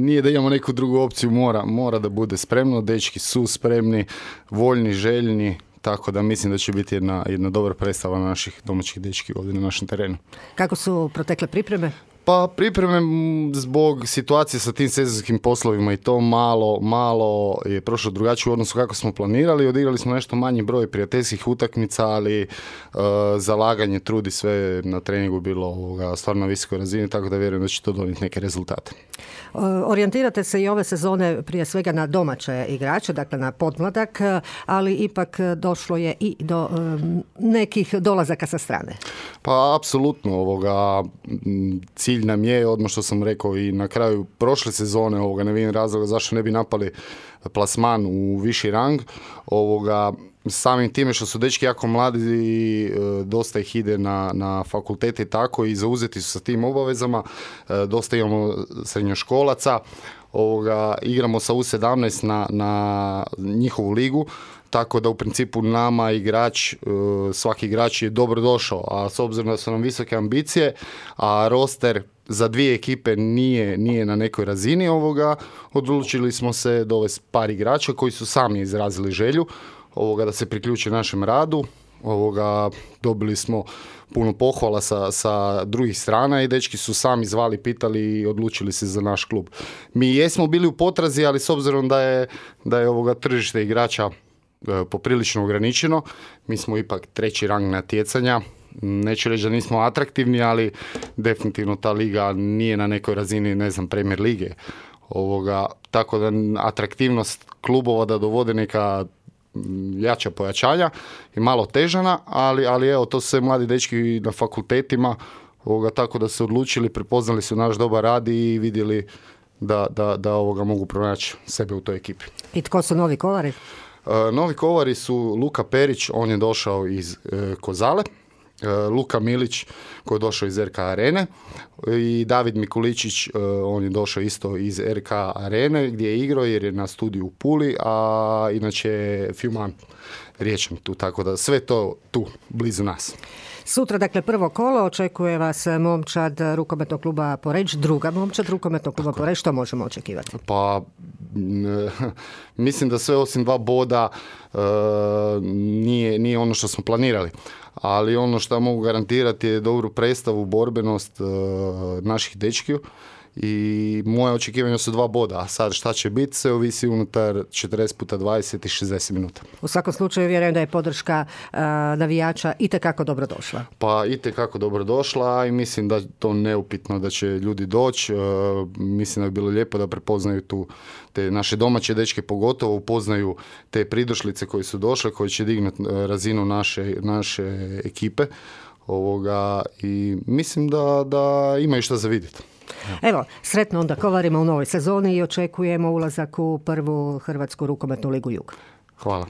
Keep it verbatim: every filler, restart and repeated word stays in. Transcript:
nije da imamo neku drugu opciju, mora, mora da bude spremno, dečki su spremni, voljni, željni, tako da mislim da će biti jedna, jedna dobra predstava naših domaćih dečki ovdje na našem terenu. Kako su protekle pripreme? Pa pripreme zbog situacije sa tim sezonskim poslovima i to malo, malo je prošlo drugačije u odnosu kako smo planirali. Odigrali smo nešto manji broj prijateljskih utakmica, ali uh, zalaganje, trudi sve na treningu bilo ovoga, stvarno na visokoj razini, tako da vjerujem da će to donijeti neke rezultate. Orijentirate se i ove sezone prije svega na domaće igrače, dakle na podmladak, ali ipak došlo je i do um, nekih dolazaka sa strane. Pa apsolutno ovoga cilj nam je, odmah što sam rekao i na kraju prošle sezone, ovoga ne vidim razloga zašto ne bi napali plasman u viši rang, ovoga samim time što su dečki jako mladi i e, dosta ih ide na, na fakultete i tako i zauzeti su sa tim obavezama, e, dosta imamo srednjoškolaca, ovoga, igramo sa U sedamnaest na, na njihovu ligu, tako da u principu nama igrač, e, svaki igrač je dobro došao, a s obzirom da su nam visoke ambicije, a roster za dvije ekipe nije, nije na nekoj razini ovoga, odlučili smo se dovesti par igrača koji su sami izrazili želju ovoga da se priključi našem radu. Ovoga, dobili smo puno pohvala sa, sa drugih strana i dečki su sami zvali, pitali i odlučili se za naš klub. Mi jesmo bili u potrazi, ali s obzirom da je, da je ovoga tržište igrača e, poprilično ograničeno, mi smo ipak treći rang natjecanja. Neću reći da nismo atraktivni, ali definitivno ta liga nije na nekoj razini, ne znam, Premier lige. Ovoga, tako da atraktivnost klubova da dovode neka jača pojačanja i malo težana, ali, ali evo, to su sve mladi dečki na fakultetima, ovoga, tako da se odlučili, prepoznali su naš dobar rad i vidjeli da, da, da ovoga mogu pronaći sebe u toj ekipi. I tko su novi kovari? Uh, novi kovari su Luka Perić, on je došao iz uh, Kozale, uh, Luka Milić koji je došao iz R K Arene i David Mikuličić, uh, on je došao isto iz R K Arene gdje je igrao jer je na studiju u Puli, a inače je Filman riječan tu, tako da sve to tu, blizu nas. Sutra, dakle, prvo kolo, očekuje vas momčad rukometnog kluba Poreč, druga momčad rukometnog kluba Poreč, što možemo očekivati? Pa, n- mislim da sve osim dva boda e, nije, nije ono što smo planirali. Ali ono što mogu garantirati je dobru predstavu, borbenost e, naših dečkiju. I moje očekivanja su dva boda, a sad šta će biti se ovisi unutar četrdeset puta dvadeset i šezdeset minuta. U svakom slučaju vjerujem da je podrška uh, navijača itekako dobro došla. Pa itekako dobro došla i mislim da to neupitno da će ljudi doći. Uh, mislim da bi bilo lijepo da prepoznaju tu te naše domaće dečke, pogotovo upoznaju te pridošlice koji su došle, koji će dignuti razinu naše, naše ekipe. Ovoga, i mislim da, da imaju što za vidjeti. Evo, sretno onda kovarima u novoj sezoni i očekujemo ulazak u prvu Hrvatsku rukometnu ligu Jug. Hvala.